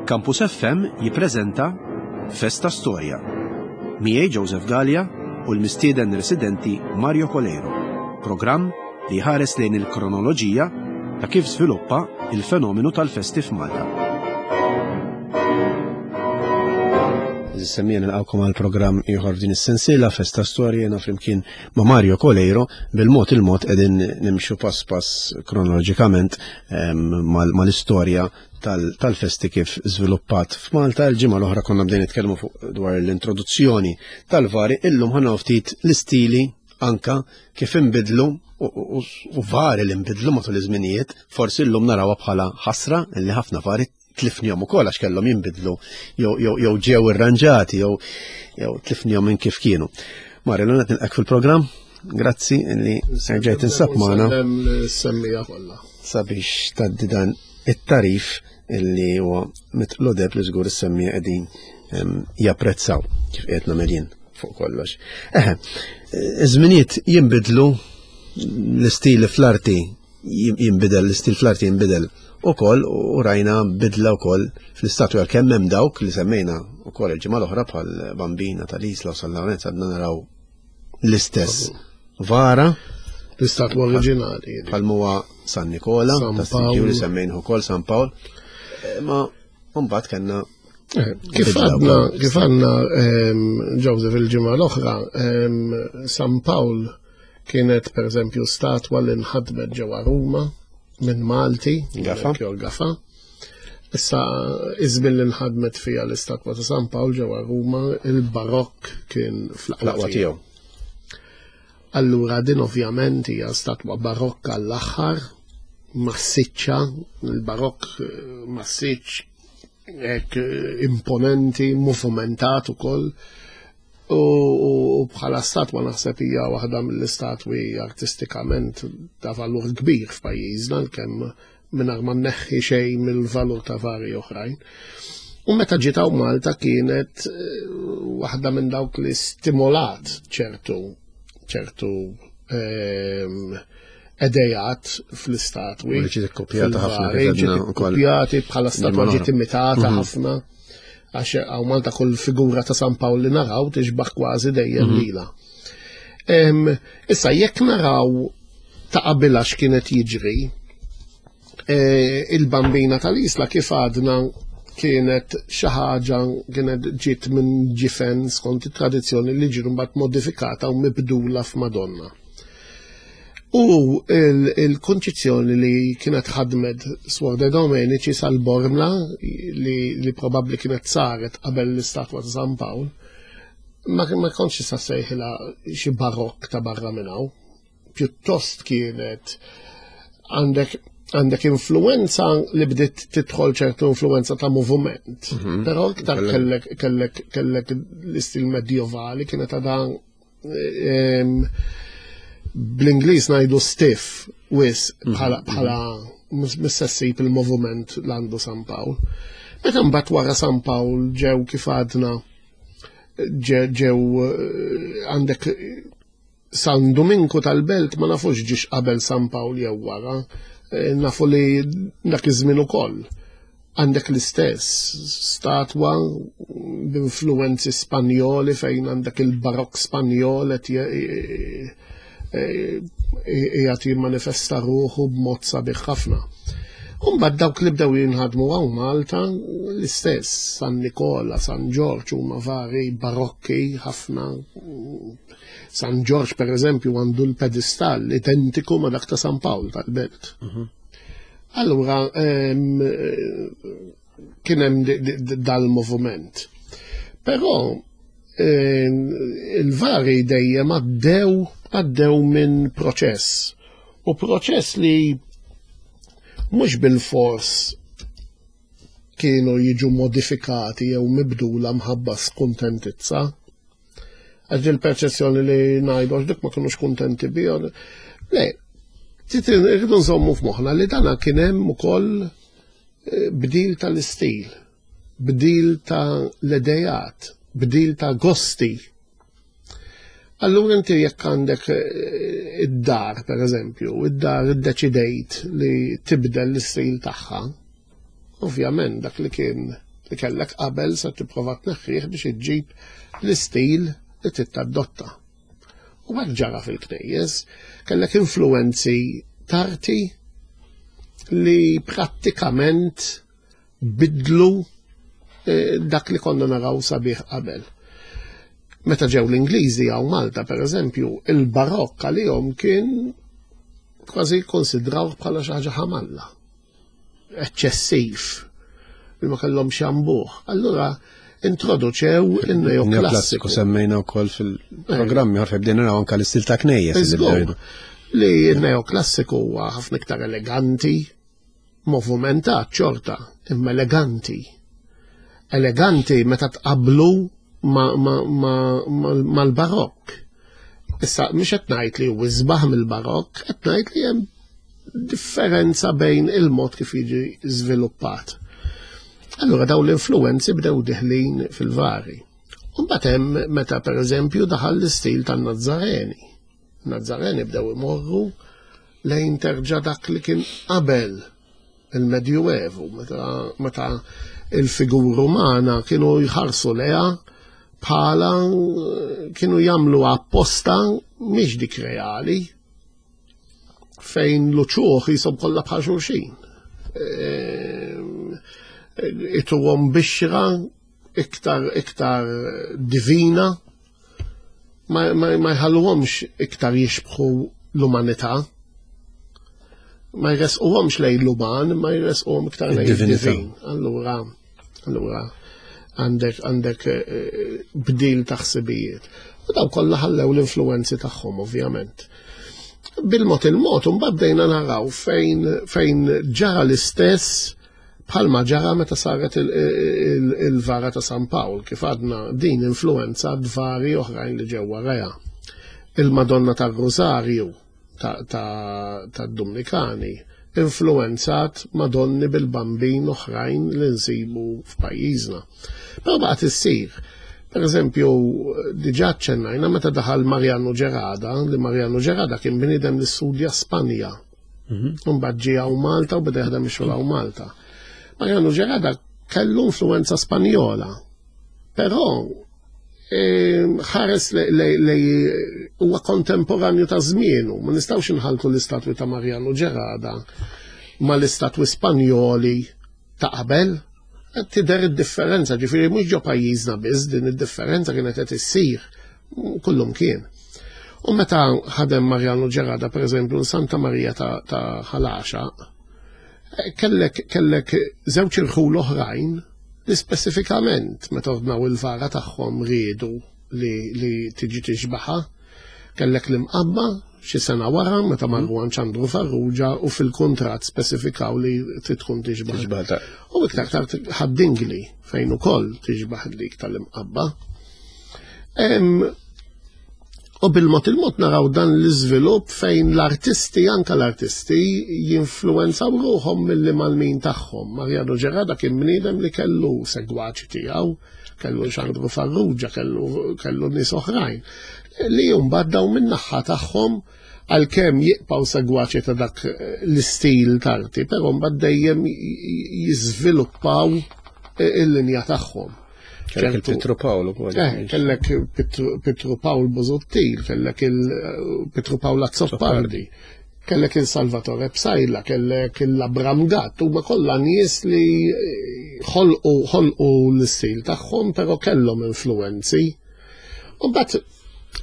Campus FM jippreżenta Festa Storja. Miegħi Joseph Gallia u l-mistieden residenti Mario Coleiro. Programm li jħares lejn il-kronoloġija ta' kif żviluppa il-fenomenu tal-festi f'Malta. Semmija nilqawkom għal programm ieħor f'din is-sensiela Festa Storja jiena flimkien ma' Mario Coleiro bil-mod il-mod qegħdin nimxu pass pass kronoloġikament ehm, mal-istorja tal-festi kif żviluppat f'Malta. Il-ġimgħa l-oħra konna bdejn nitkellmu fuq dwar l-introduzzjoni tal-vari, illum ħana ftit l-istili anka kif inbidlu u vari li nbidlu matul iż-żminijiet, forsi llum narawha bħala ħasra li ħafna vari tlifnihom ukoll għax kellhom jinbidlu jew ġew irranġati jew jew tlifnihom minn kif kienu. Mario, l nilqek fil-programm. Grazzi li ġejt insab magħna. Semmija kollha. Sabiex tgħaddi dan it-tarif illi huwa mitqlu deb li żgur is-semmija qegħdin japprezzaw kif qiegħed nagħmel jien fuq kollox. Eħe, iż-żminijiet jinbidlu l-istili fl-arti jinbidel, l-istil fl-arti jinbidel ukoll u rajna bidla wkoll fl-istatwi għalkemm hemm dawk li semmejna wkoll il-ġimgħa l-oħra bħal Bambina tal-Isla u San Lawrenz għadna naraw l-istess vara. L-istatwa oriġinali. Bħal muwa San Nikola, ta' San li semmejn ukoll San Pawl. Eh, ma mbagħad kellna eh, Kif għadna, kif għadna ehm, Joseph il-ġimgħa l-oħra, ehm, San Pawl kienet per eżempju statwa li nħadmet ġewwa Ruma minn Malti, Gafa. Gafa. Issa, iż-żmien li nħadmet fiha l-istatwa ta' San Pawl ġewwa Ruma, il-barokk kien fl-aqwa tiegħu. Allura din ovvjament hija statwa barokka l-aħħar, massiċċa, il-barokk eh, massiċ hekk eh, imponenti, movumentat ukoll. U bħala statwa naħseb hija waħda mill-istatwi artistikament ta' valur kbir f'pajjiżna kemm mingħajr ma nneħħi xejn mill-valur ta' vari oħrajn. U meta ġiet hawn Malta kienet eh, waħda minn dawk li stimolat ċertu ċertu ehm, edejat fl-istatwi. Ġiet ikkopjata ħafna. Ġiet ikkopjati bħala statwa ġiet imitata mhm. ħafna. Għax hawn Malta kull figura ta' San Pawl li naraw tixbaħ kważi dejjem mhm. lila. Issa jekk naraw ta' qabilha x'kienet jiġri, e, il-bambina tal-isla kif għadna kienet xi ħaġa kienet ġiet minn ġifen skont it-tradizzjoni li ġiet mbagħad modifikata u mibdula f'Madonna. U il-konċizzjoni li kienet ħadmet Swor de Domenici sal-Bormla li, li probabbli kienet saret qabel l-istatwa ta' San Pawl, ma, ma kontx sa sejħilha xi barokk ta' barra minn hawn. Pjuttost kienet għandek għandek influenza li bdiet tidħol ċertu influenza ta' moviment. Mm -hmm. Però iktar kellek kellek kellek l-istil medjovali kienet għadha bl-Ingliż ngħidu stiff wis mhm, bħala mhm. bħala missessib il-moviment l-għandu San Pawl. Meta mbagħad wara San Pawl ġew kif għadna ġew eh, għandek San Duminku tal-Belt ma nafux ġiex qabel San Pawl jew wara, eh, nafu li dak iż-żmien ukoll għandek l-istess statwa b'influwenzi Spanjoli fejn għandek il-barokk Spanjol qed qiegħed jimmanifesta ruħu b'mod sabiħ ħafna. Umbagħad dawk li bdew jinħadmu hawn Malta l-istess, San Nikola, San Ġorġ huma vari barokki ħafna. San Ġorġ per eżempju għandu l-pedestall identiku ma' dak ta' San Pawl tal-Belt. Mhm. Allura kien hemm dal-moviment. Però il-vari dejjem għaddew għaddew minn proċess. U proċess li mhux bil-fors kienu jiġu modifikati jew mibdula mħabba skuntentizza. Għax il-perċezzjoni li ngħidu għax dik ma kinux kuntenti bihom. Le, irridu nżommu f'moħħna li dana kien hemm ukoll eh, bdil tal-istil, bdil ta' l-idejat, bdil ta' gosti. Allura inti jekk għandek eh, id-dar, per eżempju, id-dar iddeċidejt li tibdel l-istil tagħha, ovvjament dak li kien. li kellek qabel se tipprova tneħħih biex iġġib l-istil li trid tadotta. U hekk ġara fil-knejjes, kellek influenzi tarti li prattikament bidlu eh, dak li konna naraw sabiħ qabel. Meta ġew l-Ingliżi għaw Malta, per eżempju, il-barokk għalihom kien kważi konsidraw bħala xi ħaġa ħamalla. Eċċessiv li ma kellhomx jambuh. Allura introduċew il-neoklassiku. Semmejna wkoll fil-programmi ħarfe bdejna naraw anke l-istil ta' knejjes. Li n-neoklassiku huwa ħafna iktar eleganti, movumentat xorta, imma eleganti. Eleganti meta tqablu mal-barokk. Issa, mhux qed ngħid li huwa isbaħ mill-barokk, qed ngħid li hemm differenza bejn il-mod kif jiġi żviluppat. Allura dawn l-influenzi bdew diħlin fil-vari. Mbagħad hemm meta pereżempju daħal l-istil tan-Nazzareni. Nazzareni bdew imorru lejn terġa' dak li kien qabel il-Medjuevu, meta il-figura umana kienu jħarsu leha bħala kienu jagħmlu apposta mhix dik reali fejn l-uċuħ jisob kollha bħal xulxin. Ehm, ituhom bixra iktar iktar divina ma, ma, ma jħalluhomx iktar jixbħu l-umanità. Ma jresquhomx lejn l-uman, ma jresquhom iktar lejn id-divin. Allura, allura għandek għandek eh, bdil ta' ħsibijiet. U daw kollha ħallew l-influenzi tagħhom ovvjament. Bil-mod il-mod mbagħad bdejna naraw fejn fejn ġara l-istess Bħalma ġara meta saret il-vara ta' San Pawl, kif għadna din influenzat vari oħrajn li ġew warajha. Il-Madonna tar-Rużarju tad-Dumnikani influenzat Madonni bil-Bambin oħrajn li nsibu f'pajjiżna. Però baqgħet issir. Per eżempju, diġà ċċennajna meta daħal Mariano Gerada, li Mariano Gerada kien bniedem li studja Spanja Mhm. Mbagħad ġie hawn Malta u beda jaħdem ix-xogħol hawn Malta. Mariano Gerada kellu influenza Spanjola. Però ehm, ħares li huwa kontemporanju ta' żmienu, ma nistgħux inħaltu l-istatwi ta' Mariano Gerada ma l-istatwi Spanjoli ta' qabel. Tidher id-differenza, ġifieri mhux ġo pajjiżna biss din id-differenza kienet qed issir kullum kien. U meta ħadem Mariano Ġerada, per eżempju, Santa Maria ta' Ħalaxa, eh, kellek kellek żewġ irħul oħrajn li speċifikament meta ordnaw il-vara tagħhom riedu li, li tiġi tixbaħa. Kellek l-imqabba xi sena wara meta marru għand Ċandru Farrugia u fil-kuntratt spesifikaw li trid tkun tixbaħ. U iktar tard ħaddingli fejn ukoll tixbaħ dik tal-imqabba. U bil-mod il-mod naraw dan l-iżvilupp fejn l-artisti, anka l-artisti, jinfluenzaw ruħhom mill mal-min tagħhom. Mariano Gerada kien bniedem li kellu segwaċi tiegħu, kellu Xandru Farrugia, kellu, kellu nies oħrajn, li mbagħad daw min-naħa tagħhom għalkemm jibqgħu segwaċi ta' dak l-istil tarti, però mbagħad dejjem jiżviluppaw il-linja tagħhom. Kellek il-Pietru Pawl ukoll. Eh, kellek Pietru Pawl Bozottil, kellek il-Pietru Pawl Azzopardi, kellek il-Salvatore Psaila, kellek il-Abram Gatt, huma kollha nies li ħolqu ħolqu l-istil tagħhom, però kellhom influenzi. U mbagħad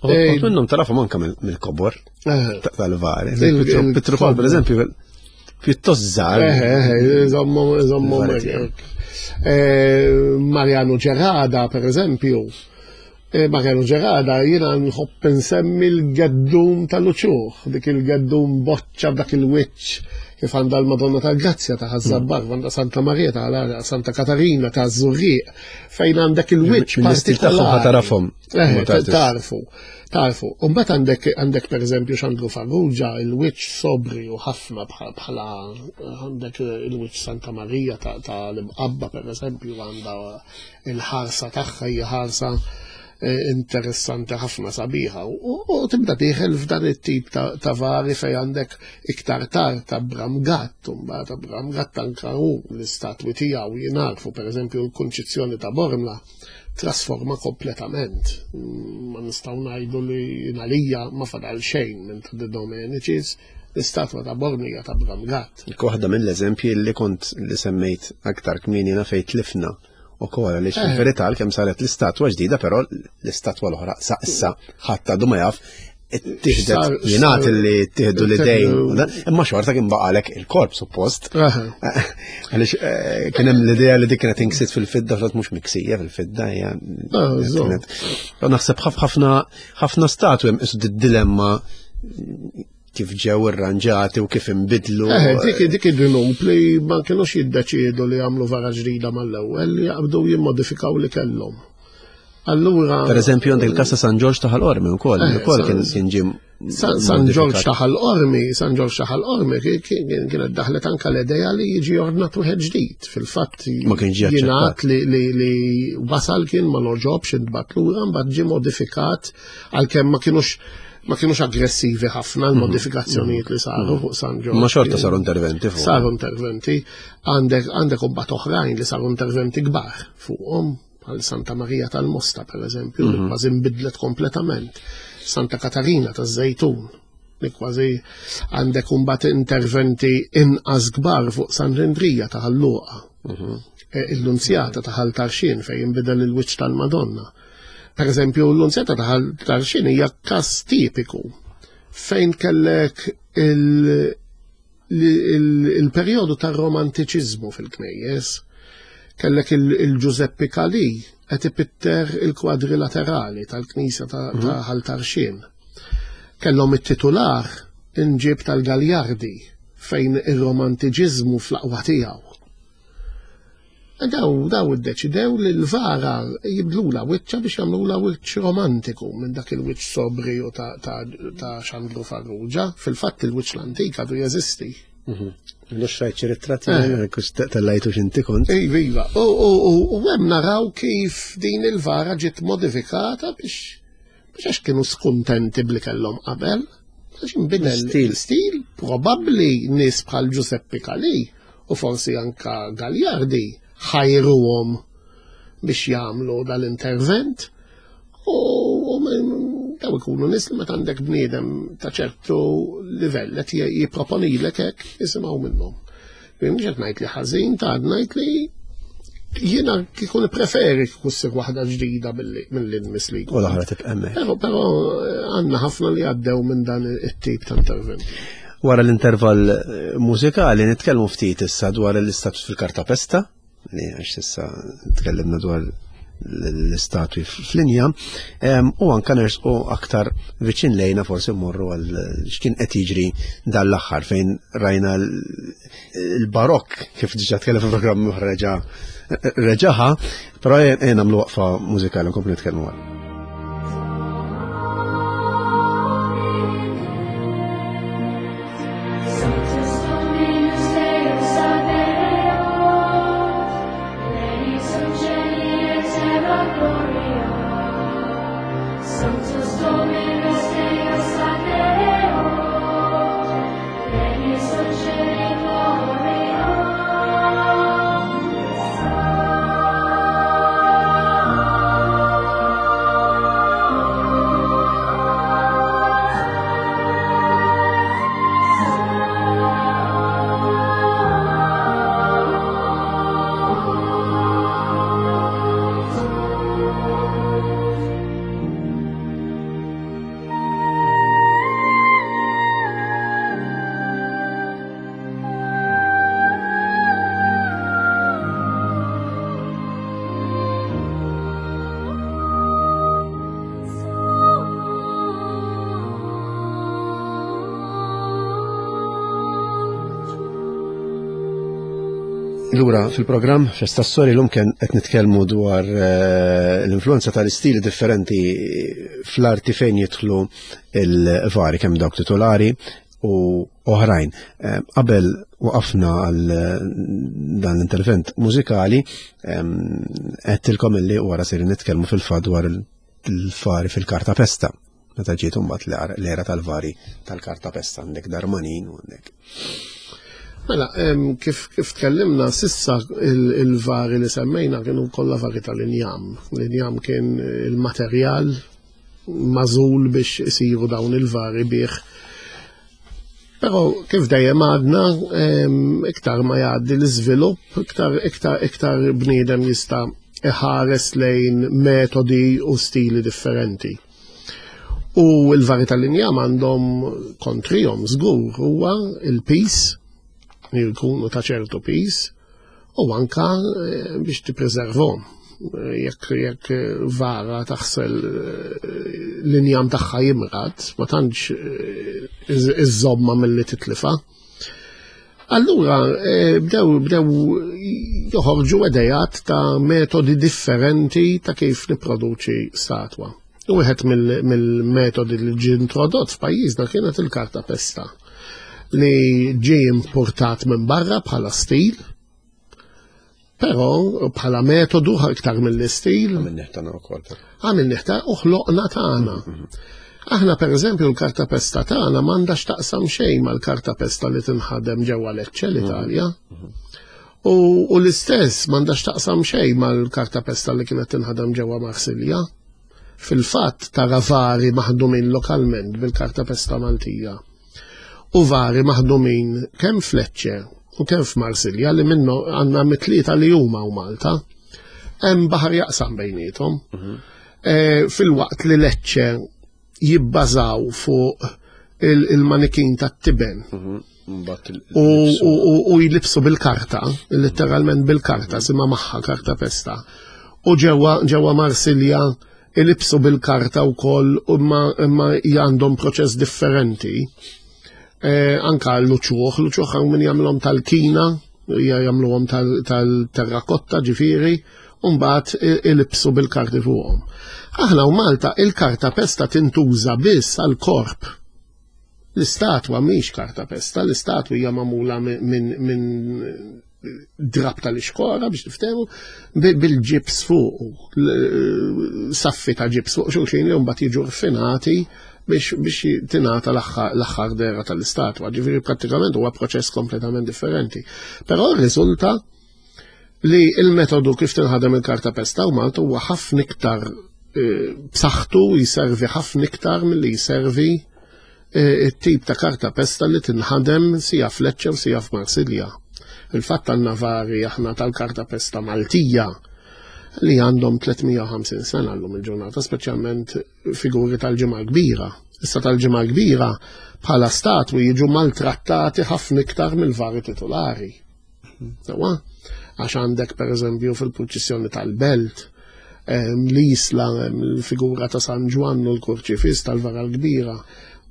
eh, minnhom tarafhom anke mill-kobor eh. tal-vari. Pietru Pawl, per eżempju, pjuttost żgħar. Eh, eh, żommu, żommu. Eh, Mariano Gerada, per eżempju, Mariano Gerada jiena nħobb nsemmi l-geddum tal-uċuħ, dik il-geddum boċċa b'dak il-wiċċ kif għandha l-Madonna tal-Grazzja ta' Ħaż-Żabbar, mm. għandha Santa Marija ta' Santa Katarina ta' Żurrieq, fejn għandek il-wiċċ partikolari. Tarafhom. Eh, tarfu. Tarfu. U mbagħad għandek għandek pereżempju Xandru Farrugia, il-wiċċ sobri u ħafna bħala għandek il-wiċċ Santa Marija ta' l-Imqabba pereżempju għandha il-ħarsa tagħha hija ħarsa. eh, interessanti ħafna sabiħa u tibda dieħel f'dan it-tip ta' vari fej għandek iktar tard ta' Bram Gatt, u mbagħad ta' Bram Gatt anka hu l-istatwi tiegħu jingħarfu pereżempju l-Kunċizzjoni ta' Bormla trasforma kompletament. Ma nistgħu ngħidu li għalija ma fadal xejn minn ta' De Domenicis, l-istatwa ta' Bormla hija ta' Bram Gatt. Waħda mill-eżempji li kont li semmejt aktar kmieni fejn tlifna ukoll għaliex eh. fil-verità kemm saret l-istatwa ġdida, però l-istatwa l-oħra sa issa ħadd għadu ma jaf tieħdet jingħad li tieħdu l-idejn, imma xorta kien baqalek il-korp suppost. Għaliex eh, kien hemm l-idea li dik kienet inksit fil-fidda fl mhux miksija fil-fidda hija. Ah, naħseb ħafna ħafna statwi hemm isu dilemma kif ġew irranġati u kif inbidlu. Eh, dik dik id-dnub li ma kienux jiddeċiedu li jagħmlu vara ġdida mal-ewwel li jaqbdu jimmodifikaw li kellhom. Allura. Per eżempju, għandek il-kas ta' San Ġorġ ta' Ħal-Qormi wkoll, eh, ukoll kien kien ġie San Ġorġ ta' Ħal-Qormi, San Ġorġ ta' Ħal-Qormi kienet daħlet anka l-idea li jiġi ordnat wieħed ġdid. Fil-fatt ma kienx ġie jingħad li wasal kien ma noġobx intbagħat lura mbagħad ġie modifikat għalkemm ma kienux ma kienux aggressivi ħafna l-modifikazzjonijiet li saru fuq San Ġorġ. Ma xorta saru interventi fuq. Saru interventi. Għandek għandek imbagħad oħrajn li saru interventi kbar fuqhom bħal Santa Maria tal-Mosta per eżempju, li mhm. kważi nbidlet kompletament. Santa Katarina taż-Żejtun li kważi għandek imbagħad interventi inqas kbar fuq San Rindrija ta' Ħal-Luqa. Mhm. E, Il-Lunzjata ta' Ħal Tarxien fejn inbidel il-wiċċ tal-Madonna. Per eżempju, l-Lunzjata ta' Ħal Tarxien hija każ tipiku fejn kellek il-perjodu tar-romantiċiżmu fil-knejjes. Kellek il-Giuseppe Calì qed ipitter il-kwadri laterali tal-knisja ta' mhm. Ħal Tarxien. Kellhom it-titular inġib tal-Galjardi fejn ir-romantiċiżmu fl-aqwa tiegħu. Daw daw iddeċidew li l-vara jibdlula wiċċa biex jagħmlula wiċċ romantiku minn dak il-wiċċ sobriju ta', ta, ta Xandru Farrugia. Fil-fatt il-wiċċ l-antik għadu jeżisti. Mhm. Lux rajt xi ritratti eh. tellajtu x'inti kont. Iva, iva. U hemm naraw kif din il-vara ġiet modifikata biex Mhux għax kienu skuntenti bli kellhom qabel, għax inbidel stil. Stil probabbli nies bħal Giuseppe Calì u forsi anka Gagliardi ħajruhom biex jagħmlu dal-intervent u daw ikunu nies li meta għandek bniedem ta' ċertu livell qed jipproponilek hekk jisimgħu minnhom. Mhux qed ngħid li ħażin ta' ngħid li jiena kieku nippreferi kieku ssir waħda ġdida milli nmiss li. U l-oħra tibqa' hemmhekk. Però però eh, għandna ħafna li għaddew minn dan it-tip ta' intervent. Wara l-intervall eh, mużikali nitkellmu ftit issa dwar l-istatus fil-kartapesta, li għax issa tkellimna dwar l-istatwi fl-linja u anka nersqu aktar viċin lejna forsi mmorru għal x'kien qed jiġri dan l-aħħar fejn rajna l-barokk kif diġà tkellem fil-programm oħra reġa' reġaħa, però nagħmlu waqfa mużikali nkomplu nitkellmu għal. Lura fil-programm Festa Story l-lum kien qed nitkellmu dwar eh, l-influenza tal-istili differenti fl-arti fejn jidħlu il-vari kemm dawk titolari u oħrajn. Eh, qabel waqafna għal eh, dan l-intervent mużikali, għedtilkom illi wara sejrin nitkellmu fil-fatt dwar il-fari fil-karta pesta. Meta ġiet imbagħad l-era tal-vari tal-karta pesta għandek Darmanin u għandek. Mela, kif, kif tkellimna sissa il-vari li semmejna kienu kollha vari tal-injam. L-injam kien il-materjal mażul biex isiru dawn il-vari bih. Però kif dejjem għadna, iktar ma jgħaddi l-iżvilupp, iktar iktar iktar bniedem jista' iħares lejn metodi u stili differenti. U l-vari tal-injam għandhom kontrihom żgur huwa il-pis, jkunu ta' ċertu pis, u anka eh, biex tippreservhom. Jekk jekk vara taħsel eh, l-injam tagħha jimrad, ma tantx eh, iżżomma milli titlifa. Allura bdew bdew joħorġu idejat ta' metodi differenti ta' kif nipproduċi statwa. U wieħed mill-metodi li ġie introdott f'pajjiżna kienet il-karta pesta li ġie importat minn barra bħala stil, però bħala metodu iktar mill-istil. Għamilnieh tagħna wkoll. Għamilnieh ta' u ħloqna tagħna. Mhm. Aħna pereżempju l-karta pesta tagħna m'għandha x'taqsam xejn mal-karta pesta li tinħadem ġewwa Lecce l-Italja. Mhm. U, u l-istess m'għandha x'taqsam xejn mal-karta pesta li kienet tinħadem ġewwa Marsilja. Fil-fatt tara vari maħdumin lokalment bil-karta pesta Maltija. U vari maħdumin kemm f'Lecce u kemm f'Marsilja li minnu għandna mitlieta li huma u Malta. Hemm baħar jaqsam bejniethom. Mhm. E, fil-waqt li Lecce jibbażaw fuq il-manikin tat-tiben. Mhm. U jlibsu bil-karta, letteralment bil-karta, sima magħha karta pesta. U ġewwa ġewwa Marsilja ilibsu bil-karta wkoll imma imma għandhom proċess differenti. Eh, anka l-uċuħ, l-uċuħ hawn min jagħmilhom tal-kina, jagħmluhom tal-terrakotta ġifieri, u mbagħad ilibsu bil-karti fuqhom. Aħna u Malta il-karta pesta tintuża biss għal korp. L-istatwa mhix karta pesta, l-istatwa hija magħmula minn drab tal-ixkora biex niftehmu bil-ġibs fuq, saffi ta' ġibs fuq xulxin li mbagħad jiġu rfinati biex biex tingħata l-aħħar dera tal-istatwa. Ġifieri prattikament huwa proċess kompletament differenti. Però rriżulta li il-metodu kif tinħadem il-karta pesta u Malta huwa ħafna iktar eh, b'saħħtu jservi ħafna iktar milli jservi eh, it-tip ta' karta pesta li tinħadem sija f'Lecce u sija f'Marsilja. Il-fatt għandna vari aħna tal-karta pesta Maltija li għandhom 350 sena llum il-ġurnata, speċjalment figuri tal-ġimgħa kbira. Issa tal-ġimgħa kbira bħala statwi jiġu maltrattati ħafna iktar mill-vari titolari. Sewa, għax għandek per eżempju fil-purċissjoni tal-belt, l-isla, l-figura ta' San Ġwann u l-kurċifis tal-vara l-kbira,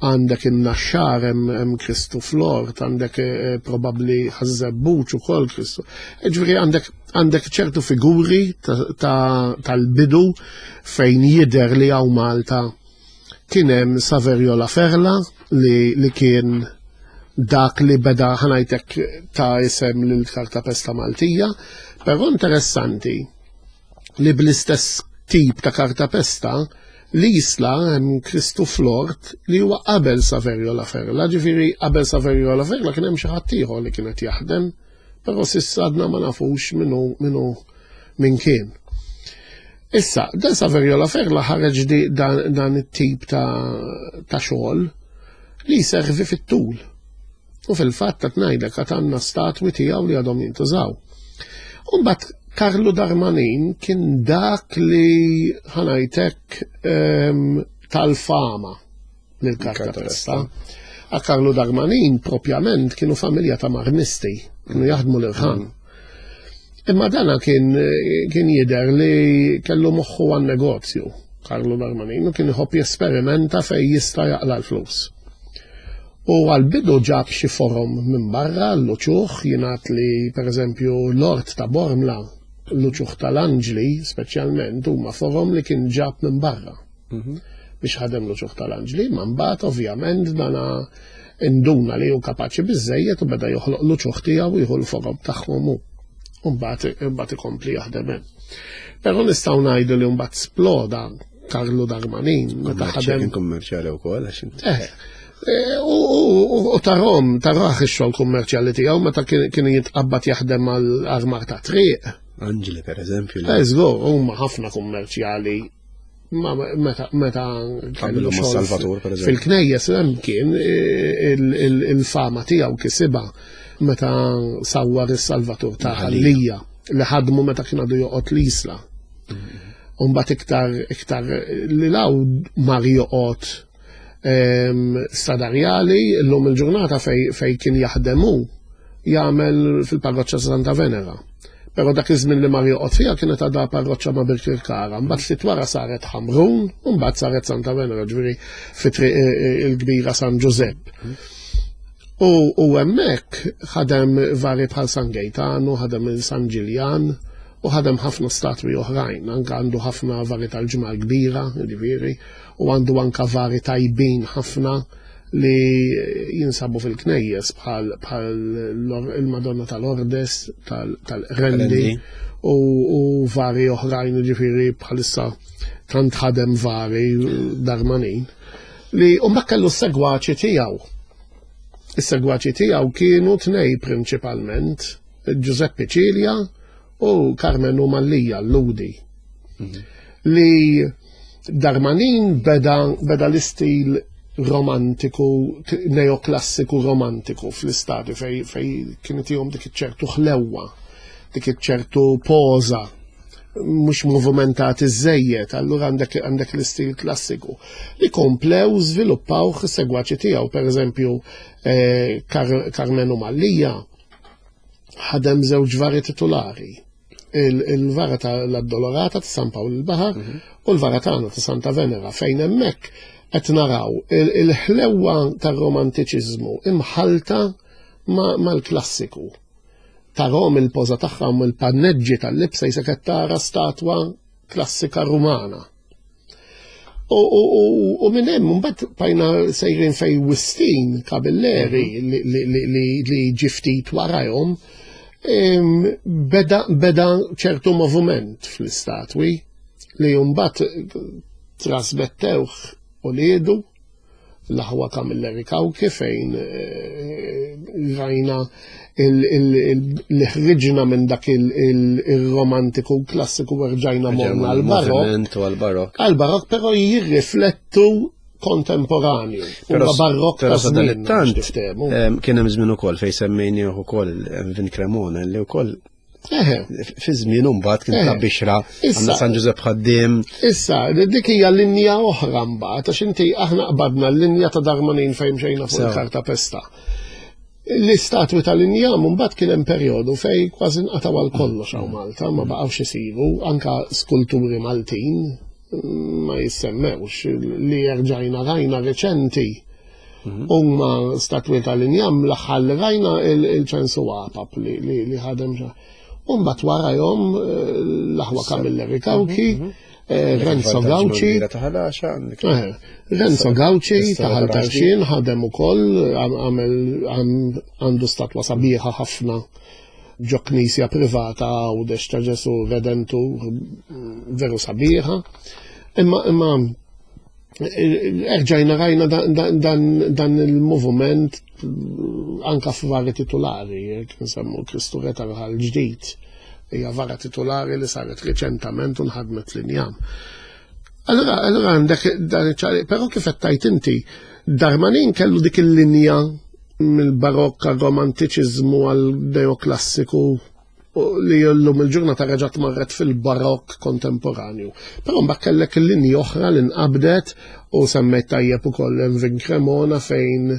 għandek in-naxxar hemm Kristu Flort, għandek eh, probabbli ħażebbuċ ukoll Kristu. Eh, ġifieri għandek għandek ċertu figuri tal-bidu fejn jidher li hawn Malta Kien hemm Saverio La Ferla li, li kien dak li beda ħanajtek ta' isem lil karta pesta Maltija, però interessanti li bl-istess tip ta' karta pesta li jisla hemm Kristu Flort li huwa qabel Saverio La Ferla, ġifieri qabel Saverio La Ferla kien hemm xi ħadd ieħor li kien qed jaħdem, però s'issa għadna ma nafux minnu minnu min kien. Issa, dan Saverio La Ferla ħareġ dan, dan it-tip ta', ta xogħol li jservi fit-tul. U fil-fatt qed ngħidlek għad għandna statwi tiegħu li għadhom jintużaw. Umbagħad Karlu Darmanin kien dak li ħanajtek um, tal-fama lil-karta pesta. A Karlu Darmanin propjament kienu familja ta' marmisti, kienu jaħdmu l-irħan. Imma dana kien kien jidher li kellu moħħu għan negozju, Karlu Darmanin, u kien iħobb jesperimenta fej jista' jaqla l-flus. U għal-bidu ġab xi forom minn barra l-uċuħ, jingħad li pereżempju l-ort ta' Bormla, l-uċuħ tal-anġli speċjalment huma forom li kien ġab minn barra. Mhm. Biex ħadem l-uċuħ tal-anġli, ma mbagħad ovvjament dana induna li hu kapaċi biżejjed u beda joħloq l-uċuħ tiegħu jieħu l-forom tagħhom hu. U mbagħad ikompli jaħdem hemm. Però nistgħu ngħidu li mbagħad sploda Karlu Darmanin. Meta ħadem. Kien kummerċjali wkoll għax inti. Eh, eh, u tarom, taraħ ix-xogħol kummerċjali tiegħu meta kien jitqabbad jaħdem għal armar ta' triq. Anġli per eżempju. Eh, żgur, huma ħafna kummerċjali ma meta meta kellu Salvatur per eżempju. Fil-knejjes hemm kien eh, il-fama tiegħu kisibha meta sawwar is-Salvatur ta' Ħallija li ħadmu meta kien għadu joqgħod l-Isla. Umbat iktar iktar li law mar joqgħod stadarjali l-lum il-ġurnata fej, fej kien jaħdemu jagħmel fil-parroċċa Santa Venera. Però dak iż-żmien li mar joqgħod fiha kienet għadha parroċċa ma' Birkirkara, mbagħad ftit wara saret Ħamrun u mbagħad saret Santa Venera, ġifieri fi triq eh, eh, il-kbira San Ġużepp. U, u hemmhekk ħadem vari bħal San Gejtanu, ħadem il-San Ġiljan, u ħadem ħafna statwi oħrajn, anka għandu ħafna vari tal-ġimgħa kbira, ġifieri, u għandu anka vari tajbin ħafna li jinsabu fil-knejjes bħal il-Madonna tal-Ordes, tal-Rendi u, u vari oħrajn, ġifieri bħalissa tant ħadem vari darmanin li u kellu s-segwaċi tiegħu. Is-segwaċi tiegħu kienu tnej prinċipalment, Giuseppe Cilia u Carmenu Mallia l-Ludi. Mhm. Li Darmanin beda, beda l-istil romantiku, neoklassiku romantiku fl-istati fej, fej kienet jom dik ċertu ħlewwa, dik ċertu poza, mhux movimentati żejjed, allura għandek għandek l-istil klassiku. Li komplew żviluppaw segwaċi tiegħu, pereżempju eh, Car Carmenu Mallia ħadem żewġ vari titulari. Il-vara tal-Addolorata ta' San Pawl il-Baħar mhm. u l-vara tagħna ta' Santa Venera fejn hemmhekk qed naraw il-ħlewwa tar-romantiċiżmu imħalta mal-klassiku. Tarahom il-poża tagħhom il-panneġġi tal-libsa jisek qed tara statwa klassika Rumana. U, u, u, u minn hemm mbagħad bajna sejrin fej Wistin Kabilleri mhm. li, li, li, li, li ġiftit warajhom beda, beda ċertu moviment fl-istatwi li mbagħad trasmettewh u liedu l-aħwa Camilleri Cauchi fejn eh, rajna li ħriġna minn dak il-romantiku klassiku rġajna morna għal-barok. Għal-barok, però jirriflettu kontemporanju. Però barok ta' żmien. Kien hemm żmien ukoll fejn semmejni ukoll Vin Cremona li wkoll Fi żmien mbagħad kien ta' bixra għandna San Ġużepp ħaddiem. Issa, dik hija linja oħra mbagħad għax inti aħna qbadna l-linja ta' Darmanin fejn xejna fuq il-karta pesta. L-istatwi tal-injam mbagħad kien hemm perjodu fejn kważi nqataw għal kollox hawn Malta, ma baqgħux isiru anka skulturi Maltin ma jissemmewx li erġajna rajna reċenti mhm. huma statwi tal-injam l-aħħar li rajna il-ċensu għapap li ħadem xa. Umbat warajhom eh, l-aħwa Camilleri Cauchi, mhm, mhm. eh, Renzo Gauci. Eh, Renzo Gauci taħal tarxin ħadem ukoll għamel għandu statwa sabiħa ħafna ġo knisja privata Għawdex ta' Ġesu Redentur veru sabiħa. Imma imma erġajna rajna dan il-moviment anka f'vari titulari, jekk nsemmu Kristu Re tal-Ħal ġdid, hija vara titulari li saret riċentament u nħadmet l-injam. Allora, allora għandek dan iċ però kif qed tajt inti, Darmanin kellu dik il-linja mill-barokk għal romantiċiżmu għal neoklassiku li llum il-ġurnata reġgħet marret fil-barokk kontemporanju. Però mbagħad kellek il-linji oħra li nqabdet u semmejt tajjeb ukoll Envin Cremona fejn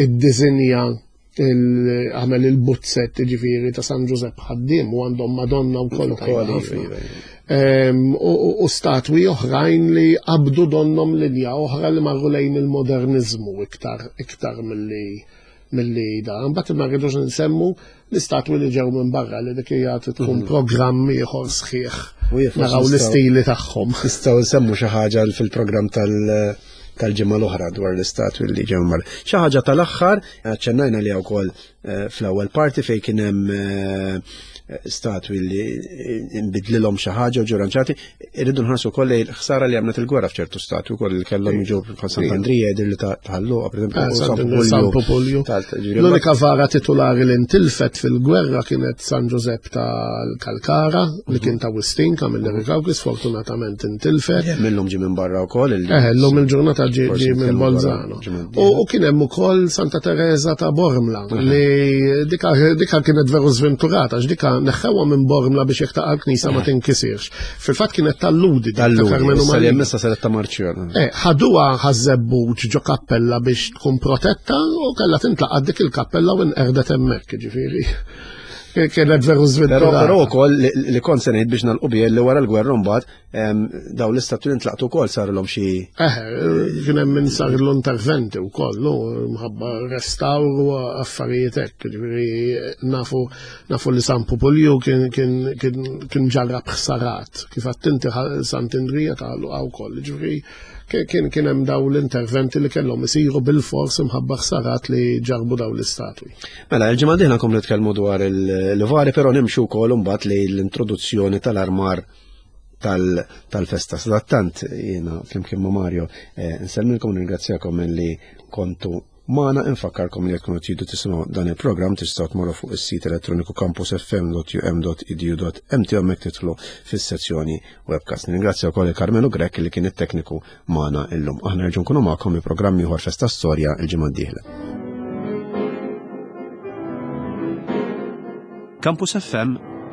iddiżinja għamel il-buzzett ġifieri ta' San Ġużepp ħaddiem u għandhom Madonna wkoll ħafna. U statwi oħrajn li qabdu donnom linja oħra li marru lejn il-modernizmu iktar iktar milli milli da. Mbagħad ma rridux nsemmu l-istatwi li ġew minn barra li dik hija tkun mhm. programm ieħor sħiħ. Naraw l-istili tagħhom. Nistgħu nsemmu xi ħaġa fil-programm tal- tal-ġimgħa l-oħra dwar l-istatwi li ġew mar. Xi ħaġa tal-aħħar, aċċennajna li wkoll eh, fl-ewwel parti fejn kien hemm eh, statwi li nbidlilhom xi ħaġa u ġew ranġati, irridu nħarsu wkoll lejn ħsara li għamlet il-gwerra f'ċertu statwi wkoll li kellhom jiġu bħal Sant'Andrija jidher li tħalluqa pereżempju eh, San Popolju. L-unika vara titulari li ntilfet fil-gwerra kienet San Ġużepp tal-Kalkara li mhm. kien ta' Wistin Camilleri Cauchi sfortunatament intilfet. Millum ġie minn barra wkoll. Eh, llum il-ġurnata ġie minn Bolzano. U kien hemm ukoll Santa Teresa ta' Bormla mhm. li dika kienet veru żventurata għax dika neħħewha minn Bormla biex jekk taqa' l-knisja ma mhm. tinkisirx. Fil-fatt kienet tal-ludi ta' Karmenu Marija. Issa saret ta' Marċjon. Eh, ħaduha ħażebbuġ ġo kappella biex tkun protetta u kellha tintlaqgħat dik il-kappella u nqerdet hemmhekk, ġifieri. Kienet veru żventurata. Però wkoll li kont se ngħid biex nagħlqu li wara l-gwerra mbagħad Daw l-istatwi li ntlaqtu wkoll sarilhom xi. Eh, kien hemm min sarilhom interventi wkoll, no, mħabba restawr u affarijiet hekk, ġifieri nafu nafu li San Pupulju kien kien kien ġarrab ħsarat, kif għattinti Sant'Indrija ta' Luqa wkoll, ġifieri kien kien hemm daw l-interventi li kellhom isiru bil-fors imħabba ħsarat li ġarbu daw l-istatwi. Mela, il-ġimgħa dieħla nkomplu nitkellmu dwar il-vari, però nimxu wkoll imbagħad li l-introduzzjoni tal-armar tal-festa. Sadattant jiena flimkien ma' Mario eh, nsellmilkom ringrazzjakom li kontu magħna infakkarkom li jekk tridu tisimgħu dan il-programm tistgħu tmorru fuq is-sit elettroniku campusfm.um.edu.mt hemmhekk titlu fis-sezzjoni webcast. Ningrazzja wkoll il-Carmelo Grek li kien it-tekniku magħna illum. Aħna nerġgħu nkunu magħkom bi programm ieħor Festa Storja il-ġimgħa d-dieħla. Campus FM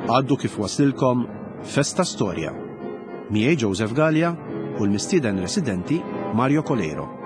għaddu kif waslilkom Festa Storja. Miegħi Joseph Gallia u l-mistieden residenti Mario Coleiro.